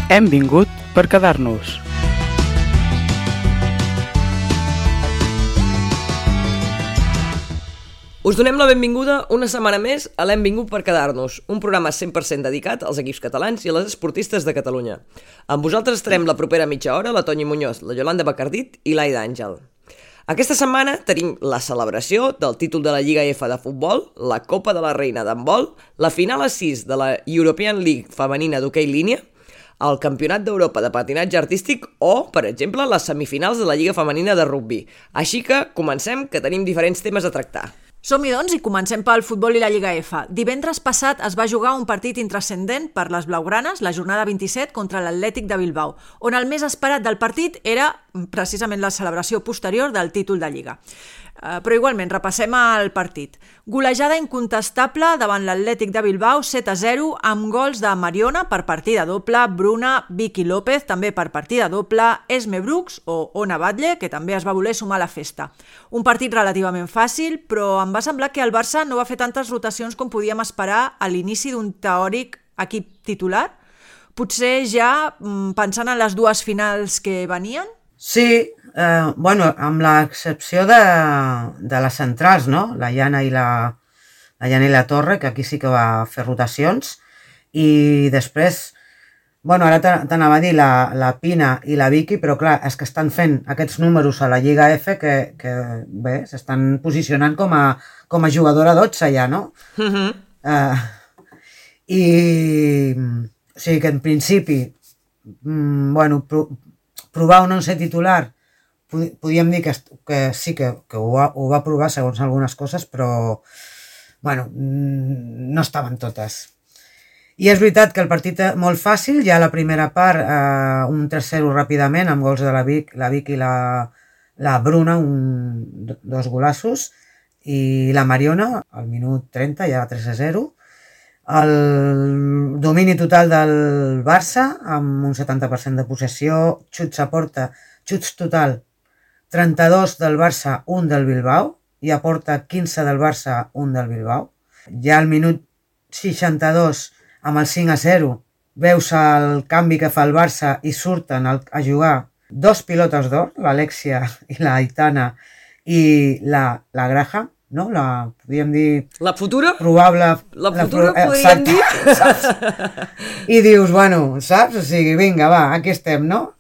Hem vingut per quedar-nos. Us donem la benvinguda una setmana més a l'Hem vingut per quedar-nos, un programa 100% dedicat als equips catalans i a les esportistes de Catalunya. Amb vosaltres estarem la propera mitja hora la Toñi Muñoz, la Yolanda Bacardit i l'Aida Àngel. Aquesta setmana tenim la celebració del títol de la Lliga F de futbol, la Copa de la Reina d'handbol, la final a 6 de la European League femenina d'hoquei línia, el Campionat d'Europa de patinatge artístic o, per exemple, les semifinals de la Lliga femenina de rugbi. Així que comencem, que tenim diferents temes a tractar. Som-hi, doncs, i comencem pel futbol i la Lliga F. Divendres passat es va jugar un partit intrascendent per les blaugranes, la jornada 27 contra l'Atlètic de Bilbao, on el més esperat del partit era precisament la celebració posterior del títol de Lliga. Però igualment, repassem el partit. Golejada incontestable davant l'Atlètic de Bilbao, 7-0, amb gols de Mariona per partida doble, Bruna, Vicky López, també per partida doble, Esme Brooks o Ona Batlle, que també es va voler sumar a la festa. Un partit relativament fàcil, però em va semblar que el Barça no va fer tantes rotacions com podíem esperar a l'inici d'un teòric equip titular. Potser ja pensant en les dues finals que venien? Sí, amb l'excepció de les centrals, no? La Jana i la Torre, que aquí sí que va fer rotacions, i després, ara t'anava a dir la Pina i la Vicky, però clar, és que estan fent aquests números a la Lliga F que bé, s'estan posicionant com a jugadora 12 ja, no? I o sigui que en principi, provar un 11 titular, podíem dir que sí que ho va provar segons algunes coses, però no estaven totes. I és veritat que el partit molt fàcil, ja a la primera part, un 3-0 ràpidament, amb gols de la Vic i la Bruna, dos golassos, i la Mariona, al minut 30, ja 3-0. El domini total del Barça, amb un 70% de possessió, xuts a porta, xuts total, 32 del Barça, 1 del Bilbao, i a porta 15 del Barça, 1 del Bilbao. Ja al minut 62, amb el 5-0, veus el canvi que fa el Barça i surten a jugar dos pilotes d'or, l'Alexia i la Aitana, i la Graham, no? Podríem dir... La futura? Probable... La futura podríem dir? I dius, saps? O sigui, vinga, va, aquí estem, no?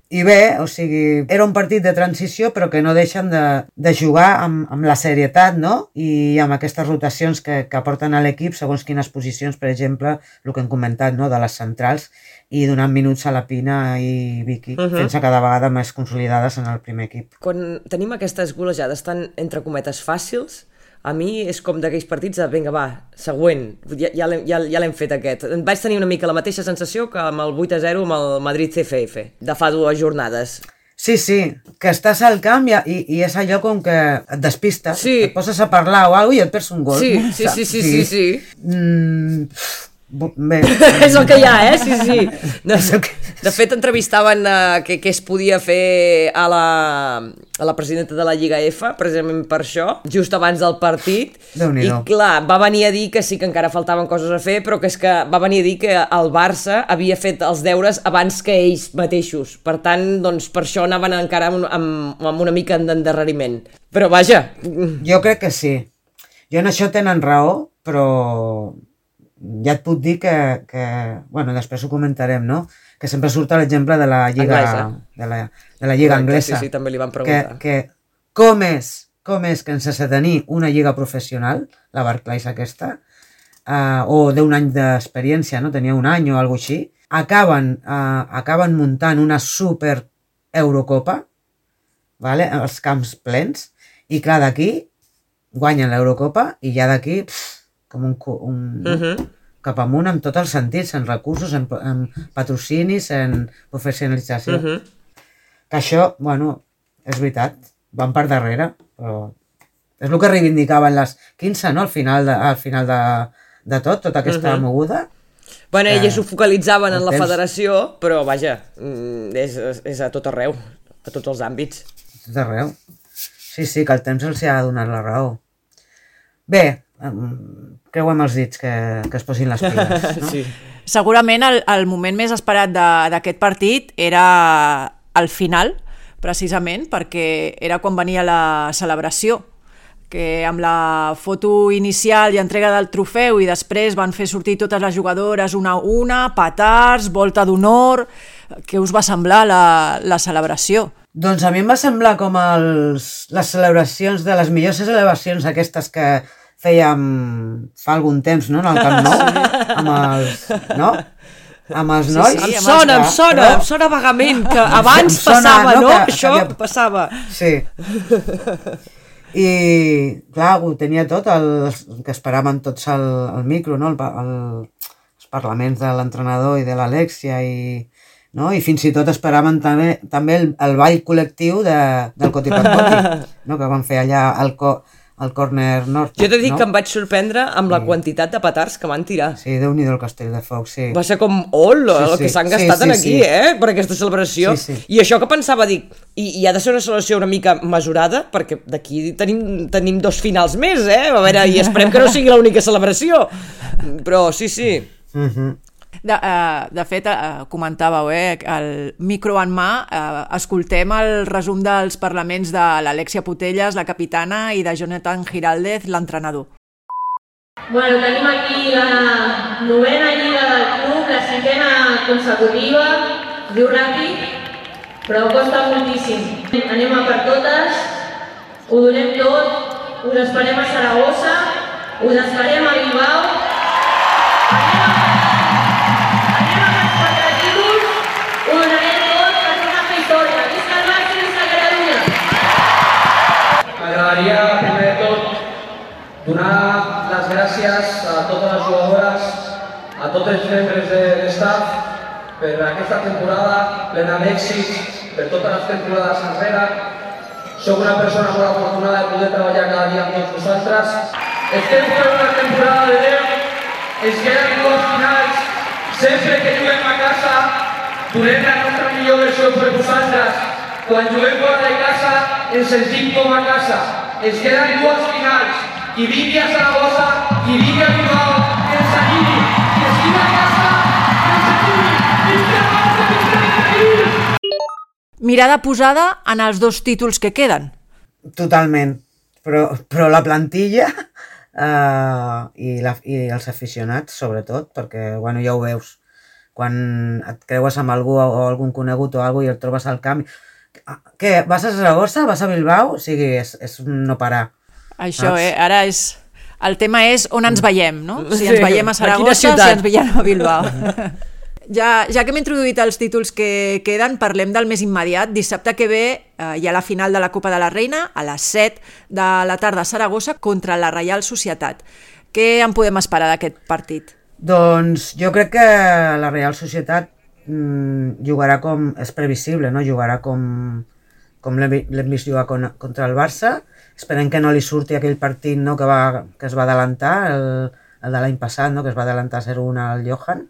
I bé, o sigui, era un partit de transició, però que no deixen de jugar amb la serietat, no? I amb aquestes rotacions que aporten a l'equip, segons quines posicions, per exemple, el que hem comentat, no?, de les centrals, i donant minuts a la Pina i Vicky, fent-se cada vegada més consolidades en el primer equip. Quan tenim aquestes golejades tan, entre cometes, fàcils, a mi és com d'aquells partits de, vinga, va, següent, ja l'hem fet aquest. Vaig tenir una mica la mateixa sensació que amb el 8-0 amb el Madrid CFF, de fa 2 jornades. Sí, que estàs al camp i és allò com que et despistes, et poses a parlar o alguna cosa i et perds un gol. Sí. Bé. És el que hi ha, sí. De fet, entrevistaven què es podia fer a la presidenta de la Lliga F, precisament per això, just abans del partit. I clar, va venir a dir que sí que encara faltaven coses a fer, però que és que va venir a dir que el Barça havia fet els deures abans que ells mateixos. Per tant, doncs, per això anaven encara amb una mica d'endarreriment. Però vaja... Jo crec que sí. Jo en això tenen raó, però... ja et puc dir que després ho comentarem, no? Que sempre surt l'exemple de la Lliga de la Lliga anglesa. Sí, també li van preguntar. Que com és que sense tenir una lliga professional, la Barclays aquesta, o d'un any d'experiència, no? Tenia un any o alguna cosa així, acaben muntant una super Eurocopa, vale? Els camps plens, i clar, d'aquí guanyen l'Eurocopa i ja d'aquí... com cap amunt en tots els sentits, en recursos, en patrocinis, en professionalització. Que això, és veritat, van per darrere, però és el que reivindicaven les 15, no?, al final de tota aquesta moguda. Elles ho focalitzaven en la federació, però vaja, és a tot arreu, a tots els àmbits. A tot arreu. Sí, que el temps els ha donat la raó. Bé, creuem els dits que es posin les piles, no? Segurament el moment més esperat d'aquest partit era al final, precisament, perquè era quan venia la celebració, que amb la foto inicial i entrega del trofeu i després van fer sortir totes les jugadores una a una, petards, volta d'honor. Què us va semblar la celebració? Doncs a mi em va semblar com les celebracions de les millors celebracions aquestes que fèiem fa algun temps, no?, en el Camp Nou, amb els nois. Sí, em sona vagament, que abans passava, no? Això passava. Sí. I, clar, ho tenia tot, que esperaven tots el micro, no?, els parlaments de l'entrenador i de l'Alexia, no? I fins i tot esperaven també el ball col·lectiu del Coti per Coti, no?, que van fer allà al Corner Nord. Jo t'he dit que em vaig sorprendre amb la quantitat de petards que van tirar. Sí, Déu-n'hi-do el castell de foc, sí. Va ser com, el que s'han gastat aquí, per aquesta celebració. Sí. I això que pensava, dic, i ha de ser una celebració una mica mesurada, perquè d'aquí tenim 2 finals més, A veure, i esperem que no sigui l'única celebració. Però sí. De fet, comentàveu, el micro en mà, escoltem el resum dels parlaments de l'Alexia Putellas, la capitana, i de Jonathan Giraldez, l'entrenador. Bueno, tenim aquí la 9a lliga del club, la 5a consecutiva, diu ràpid, però costa moltíssim. Anem a per totes, ho donem tot, us esperem a Saragossa, us esperem a Bilbao, M'agradaria, primer de tot, donar les gràcies a totes les jugadores, a tots els membres de l'estaf, per aquesta temporada plena d'èxits, per totes les temporades enrere. Soc una persona molt afortunada de poder treballar cada dia amb tots vosaltres. Estem fent una temporada de 10, ens queden 2 finals. Sempre que juguem a casa, donem la nostra millor versió per vosaltres. Quan juguem fora de casa, ens sentim com a casa. Ens queden 2 finals. Qui vingui a Saragossa, qui vingui a Bilbao, que ens animi. Qui estigui a casa, que ens animi. Mirada posada en els 2 títols que queden. Totalment. Però la plantilla i els aficionats, sobretot, perquè ja ho veus, quan et creues amb algú o algun conegut o alguna cosa i el trobes al camp, què, vas a Saragossa, vas a Bilbao? O sigui, és no parar. Això, ara és... El tema és on ens veiem, no? Si ens veiem a Saragossa, si ens veiem a Bilbao. Ja que hem introduït els títols que queden, parlem del més immediat. Dissabte que ve hi ha la final de la Copa de la Reina a les 7 de la tarda a Saragossa contra la Reial Societat. Què en podem esperar d'aquest partit? Doncs jo crec que la Reial Societat jugarà com és previsible, no? Jugarà com l'hem vist jugar contra el Barça. Esperem que no li surti aquell partit, no, que es va adelantar, el de l'any passat, no, que es va adelantar 0-1 al Johan.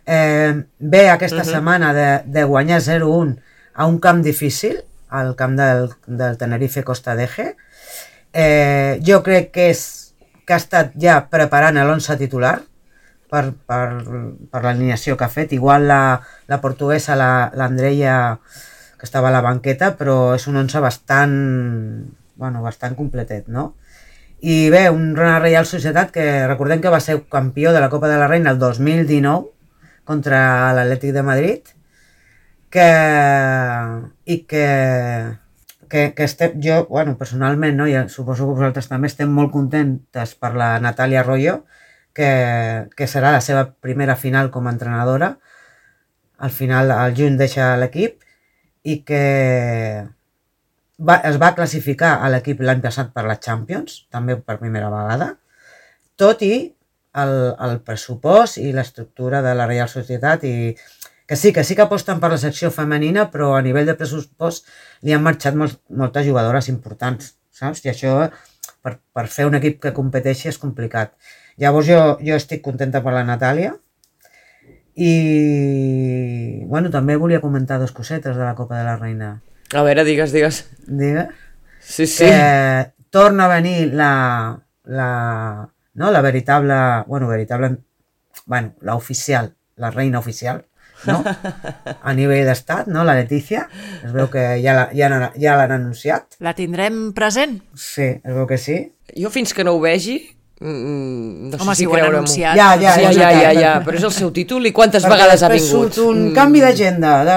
Ve aquesta setmana de guanyar 0-1 a un camp difícil, al camp del Tenerife Costa d'Eje. Jo crec que ha estat ja preparant l'11 titular per l'alineació que ha fet. Igual la portuguesa, l'Andreia, que estava a la banqueta, però és un 11 bastant completet, no? I bé, una Reial Societat que recordem que va ser campió de la Copa de la Reina el 2019 contra l'Atlètic de Madrid, jo, personalment, no, i suposo que vosaltres també estem molt contentes per la Natàlia Arroyo, que serà la seva primera final com a entrenadora. Al final, al juny deixa l'equip i que es va classificar a l'equip l'any passat per la Champions, també per primera vegada, tot i el pressupost i l'estructura de la Reial Societat, i que sí que aposten per la secció femenina, però a nivell de pressupost li han marxat moltes jugadores importants, saps? I això, per fer un equip que competeixi, és complicat. Llavors jo estic contenta per la Natàlia i també volia comentar 2 cosetes de la Copa de la Reina. A veure, digues. Digues? Sí. Que torna a venir la veritable, la oficial la reina oficial, no? A nivell d'estat, no? La Letícia, es veu que ja l'han anunciat. La tindrem present? Sí, es veu que sí. Jo fins que no ho vegi, no Home, sé si si ho han creure-m'ho. anunciat. Ja, però és el seu títol i quantes vegades ha vingut? Surt un canvi d'agenda de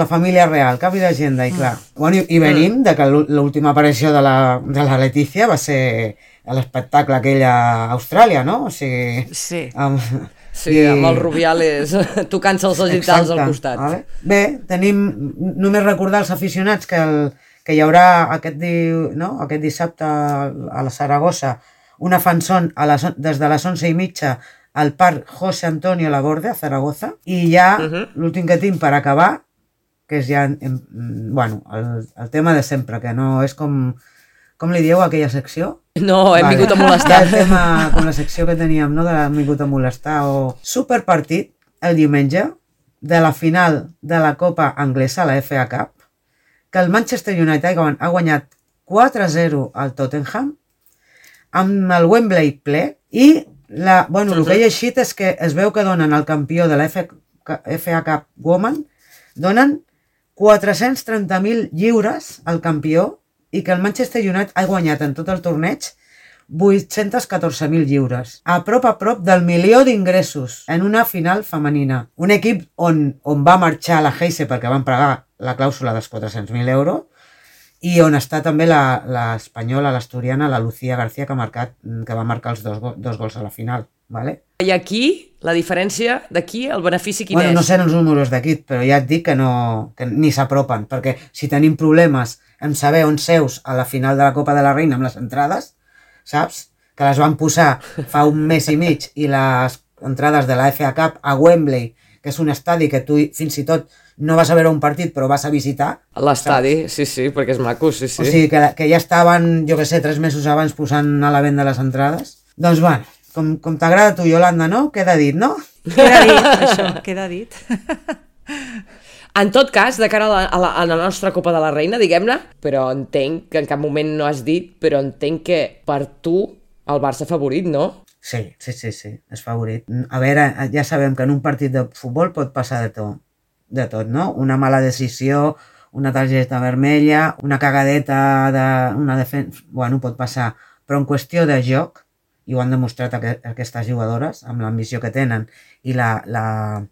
la família real, canvi d'agenda, i clar. Bueno, i venim de que l'última aparició de la Letícia va ser l'espectacle aquell a Austràlia, no? O sigui... Sí. Sí, amb els Rubiales tocant-se els genitals al costat. Vale. Bé, només recordar als aficionats que hi haurà aquest dissabte a la Saragossa una fanzón des de les 11:30 al Parc José Antonio Laborde, a Zaragoza, i ja l'últim que tinc per acabar, que és ja el tema de sempre, que no és com li dieu a aquella secció? No, hem vingut a molestar. Ja el tema, com la secció que teníem, no? De hem vingut a molestar, o superpartit el diumenge de la final de la Copa Anglesa, la FA Cup, que el Manchester United ha guanyat 4-0 al Tottenham amb el Wembley ple, i el que he llegit és que es veu que donen al campió de la FA Cup Women, donen 430.000 lliures al campió, i que el Manchester United ha guanyat en tot el torneig 814.000 lliures. A prop del 1.000.000 d'ingressos en una final femenina. Un equip on va marxar la Heise perquè van pagar la clàusula dels 400.000 euros, i on està també l'espanyola, l'asturiana, la Lucía García, que va marcar els dos gols a la final. Vale? I aquí, la diferència d'aquí, el benefici quin és? No sé els números d'aquí, però ja et dic que ni s'apropen, perquè si tenim problemes en saber on seus a la final de la Copa de la Reina amb les entrades, saps? Que les van posar fa un mes i mig, i les entrades de la FA Cup a Wembley, que és un estadi que tu fins i tot no vas a veure un partit però vas a visitar. L'estadi, sí, perquè és maco, sí. O sigui, que ja estaven, jo que sé, 3 mesos abans posant a la venda les entrades. Doncs bueno, com t'agrada a tu, Yolanda, no? Queda dit, no? Queda dit, això, queda dit. En tot cas, de cara a la nostra Copa de la Reina, diguem-ne, però entenc que en cap moment no has dit, però entenc que per tu el Barça favorit, no? Sí, és favorit. A veure, ja sabem que en un partit de futbol pot passar de tot, no? Una mala decisió, una targeta vermella, una cagadeta una defensa... Bueno, pot passar. Però en qüestió de joc, i ho han demostrat aquestes jugadores, amb l'ambició que tenen i la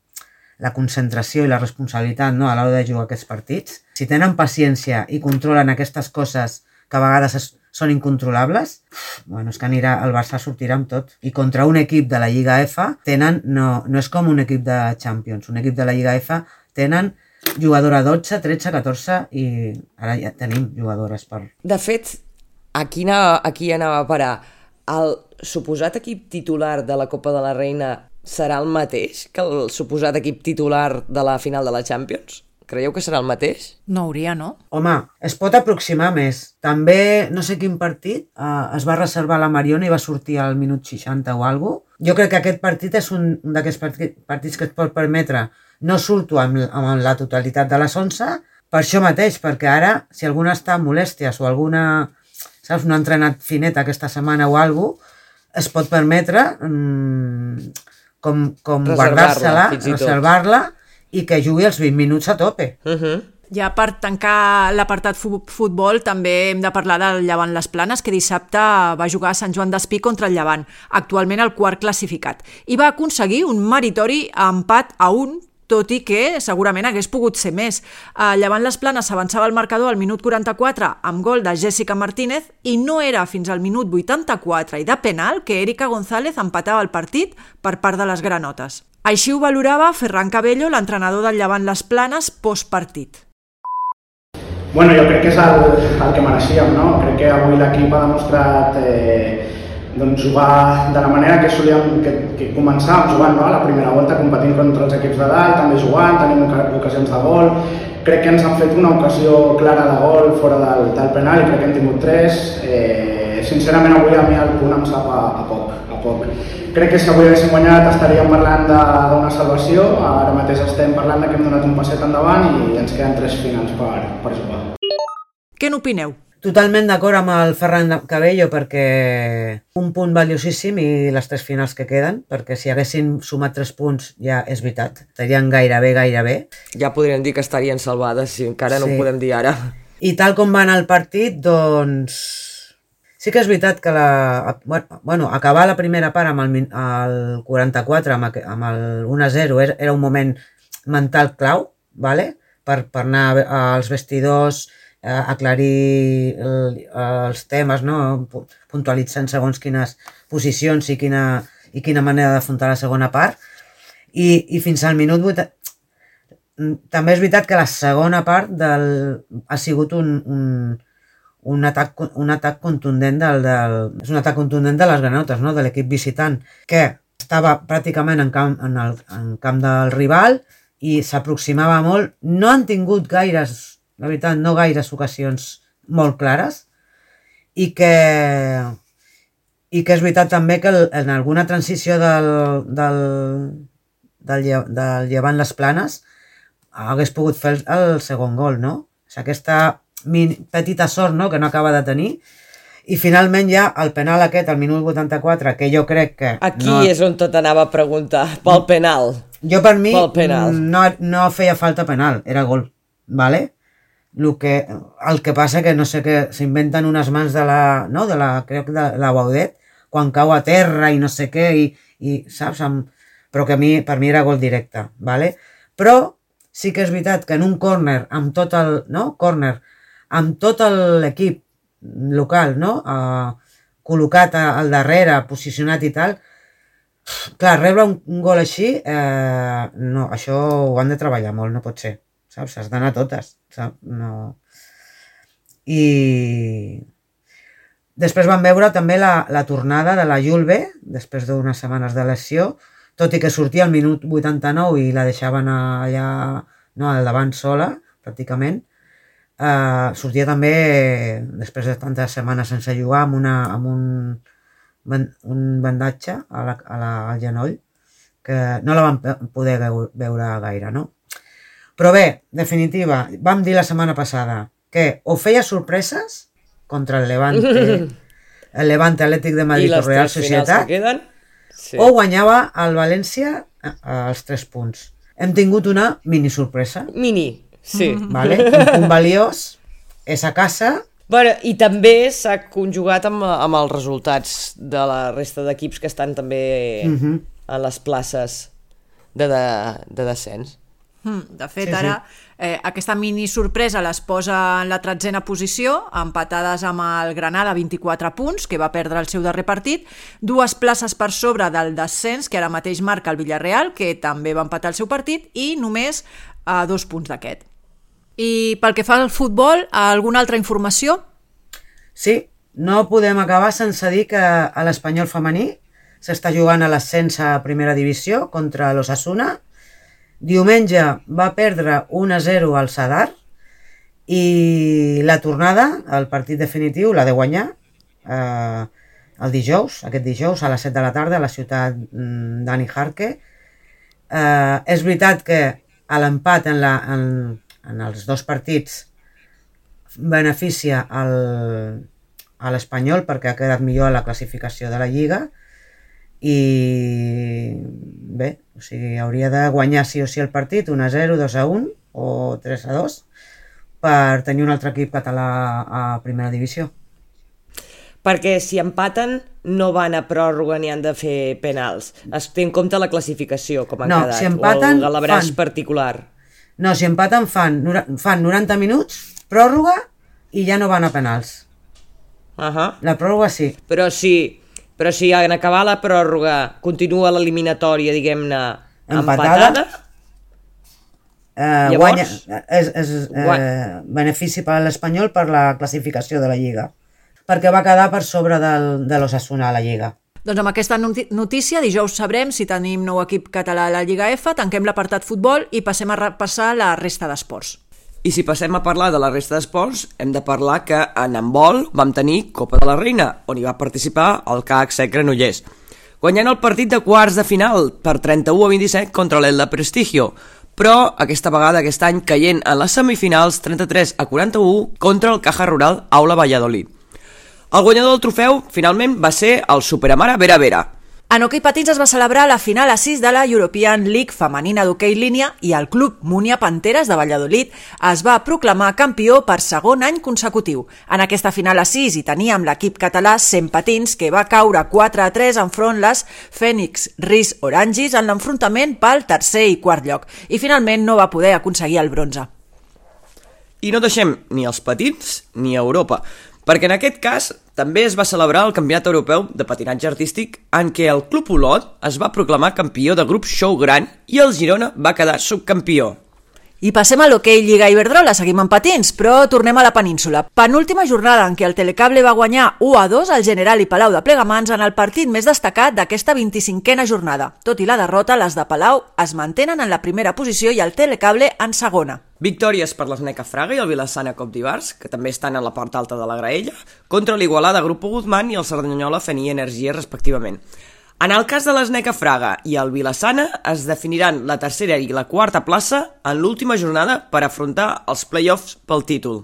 concentració i la responsabilitat, no, a l'hora de jugar aquests partits, si tenen paciència i controlen aquestes coses que a vegades són incontrolables, bueno, és que el Barça sortirà amb tot. I contra un equip de la Lliga F no és com un equip de Champions. Un equip de la Lliga F tenen jugadora 12, 13, 14 i ara ja tenim jugadores per... De fet, aquí anava a parar. El suposat equip titular de la Copa de la Reina serà el mateix que el suposat equip titular de la final de la Champions? Creieu que serà el mateix? No hauria, no? Home, es pot aproximar més. També, no sé quin partit, es va reservar la Mariona i va sortir al minut 60 o alguna cosa. Jo crec que aquest partit és un d'aquests partits que et pot permetre no surto amb la totalitat de les 11, per això mateix, perquè ara, si alguna està amb molèsties o alguna, saps, no ha entrenat finet aquesta setmana o alguna cosa, es pot permetre com guardar-se-la, reservar-la, i que jugui els 20 minuts a tope. Ja per tancar l'apartat futbol també hem de parlar del Llevant Les Planes, que dissabte va jugar a Sant Joan d'Espí contra el Llevant, actualment el quart classificat, i va aconseguir un meritori empat a 1, tot i que segurament hagués pogut ser més. Llevant Les Planes s'avançava al marcador al minut 44 amb gol de Jessica Martínez, i no era fins al minut 84 i de penal que Erika González empatava el partit per part de les granotes. Així ho valorava Ferran Cabello, l'entrenador del Llevant Les Planes, postpartit. Bueno, jo crec que és el que mereixíem, no? Crec que avui l'equip ha demostrat jugar de la manera que solíem que començàvem jugant, no? A la primera volta competint contra els equips de dalt, també jugant, tenim ocasions de gol. Crec que ens han fet una ocasió clara de gol fora del penal i crec que hem tingut 3. Sincerament, avui a mi el punt em sap a poc. Crec que si avui haguéssim guanyat estaríem parlant d'una salvació. Ara mateix estem parlant que hem donat un passet endavant i ens queden 3 finals per jugar. Què n'opineu? Totalment d'acord amb el Ferran Cabello perquè un punt valiosíssim i les 3 finals que queden, perquè si haguessin sumat 3 punts ja és veritat, estarien gairebé. Ja podríem dir que estarien salvades, si encara no ho podem dir ara. I tal com va anar el partit, doncs... Sí que és veritat que acabar la primera part amb el 44, amb el 1-0, era un moment mental clau, vale? per anar als vestidors, aclarir els temes, no? Puntualitzant segons quines posicions i quina manera d'afrontar la segona part. I fins al minut 8... També és veritat que la segona part ha sigut un atac contundent és un atac contundent de les granotes, no? De l'equip visitant, que estava pràcticament en camp del rival i s'aproximava molt. No han tingut gaires, la veritat, no gaires ocasions molt clares i que és veritat també que en alguna transició del Llevant les Planes hagués pogut fer el segon gol, no? És aquesta petita sort, no?, que no acaba de tenir. I finalment ja el penal aquest, al minut 84, que jo crec que... Aquí és on tot anava a preguntar, pel penal. Jo per mi no feia falta penal, era gol, ¿vale? El que passa que no sé què, s'inventen unes mans de crec de la Baudet, quan cau a terra i no sé què, i saps? Però que per mi era gol directe, ¿vale? Però sí que és veritat que en un córner, amb tot l'equip local, no? Col·locat al darrere, posicionat i tal, clar, rebre un gol així, no, això ho han de treballar molt, no pot ser, saps? Has d'anar a totes, saps? No. I després vam veure també la tornada de la Julve, després d'unes setmanes de lesió, tot i que sortia al minut 89 i la deixaven allà, no, al davant sola, pràcticament. Sortia també, després de tantes setmanes sense jugar, amb un bandatge al genoll, que no la vam poder veure gaire, no? Però bé, definitiva, vam dir la setmana passada que o feia sorpreses contra el Levante Atlètic de Madrid o Real Societat, o guanyava el València els 3 punts. Hem tingut una mini sorpresa. Mini, sí. Vale? Un valiós, és a casa. Bueno, i també s'ha conjugat amb els resultats de la resta d'equips que estan també a les places de descens. De fet, ara aquesta mini sorpresa les posa en la 13a posició, empatades amb el Granada, 24 punts, que va perdre el seu darrer partit, 2 places per sobre del descens, que ara mateix marca el Villarreal, que també va empatar el seu partit, i només 2 punts d'aquest. I pel que fa al futbol, alguna altra informació? Sí, no podem acabar sense dir que a l'Espanyol femení s'està jugant a l'ascens a primera divisió contra l'Osasuna. Diumenge va perdre 1-0 al Sadar i la tornada, el partit definitiu, l'ha de guanyar aquest dijous a les 7 de la tarda a la ciutat d'Ani Jarque. És veritat que l'empat en els 2 partits beneficia a l'Espanyol perquè ha quedat millor a la classificació de la Lliga i bé, o sigui, hauria de guanyar sí o sí el partit 1-0, 2-1 o 3-2 per tenir un altre equip català a primera divisió. Perquè si empaten no van a pròrroga ni han de fer penals. Es té en compte la classificació, com han quedat, si empaten, o el galabràs particular. No, si empaten fan 90 minuts, pròrroga, i ja no van a penals. La pròrroga sí. Però si en acabar la pròrroga continua l'eliminatòria, diguem-ne, empatada, llavors... És benefici per a l'Espanyol per la classificació de la Lliga, perquè va quedar per sobre de l'Osasuna a la Lliga. Doncs amb aquesta notícia, dijous sabrem si tenim nou equip català a la Lliga F, tanquem l'apartat futbol i passem a repassar la resta d'esports. I si passem a parlar de la resta d'esports, hem de parlar que en handbol vam tenir Copa de la Reina, on hi va participar el CAC Sec Granollers, guanyant el partit de quarts de final per 31-27 contra l'Elda Prestigio, però aquesta vegada, aquest any, caient en les semifinals 33-41 contra el Caja Rural Aula Valladolid. El guanyador del trofeu, finalment, va ser el Superamara Vera Vera. En hoquei patins es va celebrar la final a 6 de la European League femenina d'hoquei línia i el club Múnia Panteres de Valladolid es va proclamar campió per segon any consecutiu. En aquesta final a 6 hi teníem l'equip català 100 patins que va caure 4-3 enfront les Phoenix Ris Orangis en l'enfrontament pel tercer i quart lloc i finalment no va poder aconseguir el bronze. I no deixem ni els patins ni Europa, perquè en aquest cas també es va celebrar el Campionat Europeu de Patinatge Artístic en què el Club Olot es va proclamar campió de grup Show Gran i el Girona va quedar subcampió. I passem a l'hoquei Lliga Iberdrola, seguim amb patins, però tornem a la península. Penúltima jornada en què el Telecable va guanyar 1-2 al General i Palau de Plegamans en el partit més destacat d'aquesta 25a jornada. Tot i la derrota, les de Palau es mantenen en la primera posició i el Telecable en segona. Victòries per l'Sneca Fraga i el Vilassana Copdivars, que també estan a la part alta de la graella, contra l'Igualada Grupo Guzmán i el Cerdanyola Fenia Energia, respectivament. En el cas de l'Sneca Fraga i el Vilassana es definiran la tercera i la quarta plaça en l'última jornada per afrontar els play-offs pel títol.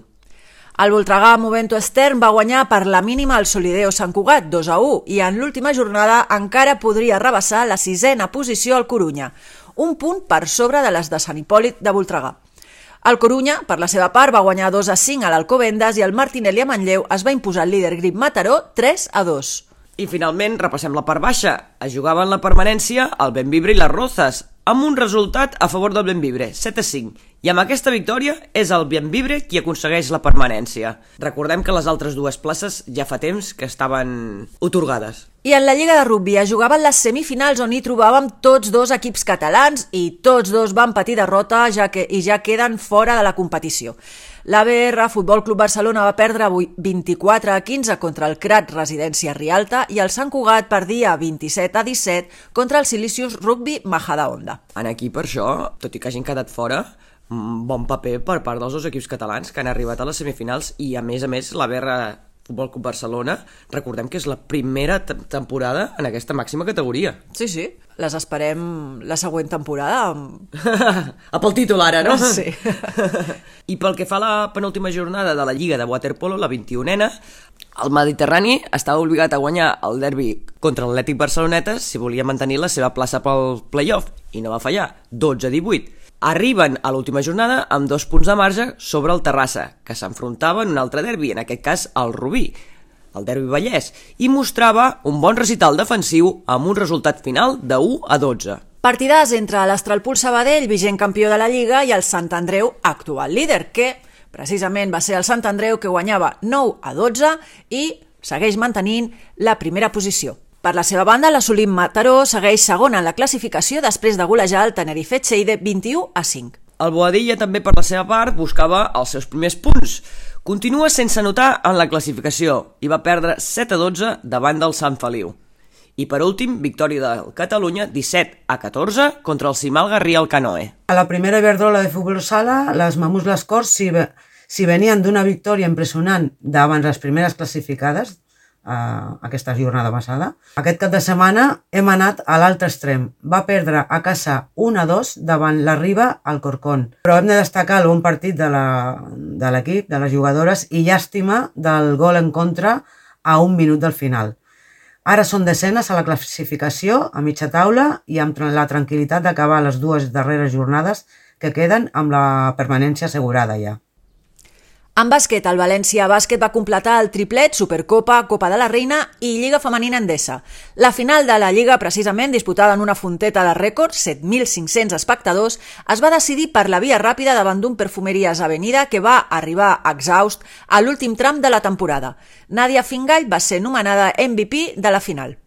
El Voltregà Movento Estern va guanyar per la mínima el Solideo Sant Cugat 2-1 i en l'última jornada encara podria rebassar la 6a posició al Corunya, un punt per sobre de les de Sant Hipòlit de Voltregà. El Corunya, per la seva part, va guanyar 2-5 a l'Alcobendas i el Martinelli a Manlleu es va imposar el líder Grip Mataró 3-2. I finalment repassem la part baixa. Es jugaven la permanència el Bembibre i les Rozas, amb un resultat a favor del Bembibre, 7-5. I amb aquesta victòria és el Bembibre qui aconsegueix la permanència. Recordem que les altres dues places ja fa temps que estaven atorgades. I en la Lliga de Rugby es jugaven les semifinals on hi trobàvem tots dos equips catalans i tots dos van patir derrota i ja queden fora de la competició. L'ABR Futbol Club Barcelona va perdre 24-15 contra el Crat Residència Rialta i el Sant Cugat perdia 27-17 contra el Silicius Rugby Majadahonda. En aquí, per això, tot i que hagin quedat fora, bon paper per part dels dos equips catalans que han arribat a les semifinals i, a més, l'ABR Futbol Club Barcelona, recordem que és la primera temporada en aquesta màxima categoria. Sí, sí, les esperem la següent temporada. A pel títol ara, no? Sí. I pel que fa a la penúltima jornada de la Lliga de Waterpolo, la 21a, el Mediterrani estava obligat a guanyar el derbi contra l'Atlètic Barceloneta si volia mantenir la seva plaça pel play-off, i no va fallar, 12-18. Arriben a l'última jornada amb 2 punts de marge sobre el Terrassa, que s'enfrontava en un altre derbi, en aquest cas el Rubí, el derbi Vallès, i mostrava un bon recital defensiu amb un resultat final de 1-12. Partidàs entre l'Astralpool Sabadell, vigent campió de la Lliga, i el Sant Andreu, actual líder, que precisament va ser el Sant Andreu que guanyava 9-12 i segueix mantenint la primera posició. Per la seva banda, l'Assolim Mataró segueix segon en la classificació després de golejar el Tenerife Txeide 21-5. El Boadilla també, per la seva part, buscava els seus primers punts. Continua sense anotar en la classificació i va perdre 7-12 davant del Sant Feliu. I per últim, victòria del Catalunya 17-14 contra el Simal Garrí al Canoe. A la primera Iberdrola de futbol sala, les Mamús Les Corts, si venien d'una victòria impressionant davant les primeres classificades, aquesta jornada passada. Aquest cap de setmana hem anat a l'altre extrem. Va perdre a casa 1-2 davant la Riba al Corcón. Però hem de destacar el bon partit de l'equip, de les jugadores, i llàstima del gol en contra a 1 minut del final. Ara són desenes a la classificació, a mitja taula, i amb la tranquil·litat d'acabar les 2 darreres jornades que queden amb la permanència assegurada ja. En bàsquet, el València Bàsquet va completar el triplet Supercopa, Copa de la Reina i Lliga Femenina Endesa. La final de la Lliga, precisament disputada en una fonteta de rècord, 7.500 espectadors, es va decidir per la via ràpida davant d'un Perfumeries Avenida que va arribar exhaust a l'últim tram de la temporada. Nàdia Fingall va ser nomenada MVP de la final.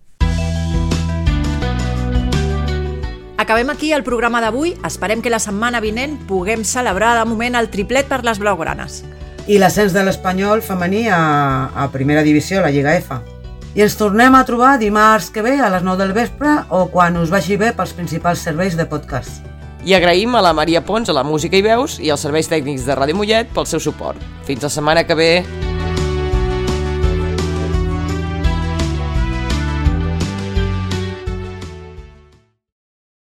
Acabem aquí el programa d'avui. Esperem que la setmana vinent puguem celebrar de moment el triplet per les blaugranes. I l'ascens de l'Espanyol femení a primera divisió, a la Lliga F. I ens tornem a trobar dimarts que ve a les 9 del vespre o quan us vagi bé pels principals serveis de podcast. I agraïm a la Maria Pons, a la música i veus, i als serveis tècnics de Ràdio Mollet pel seu suport. Fins la setmana que ve!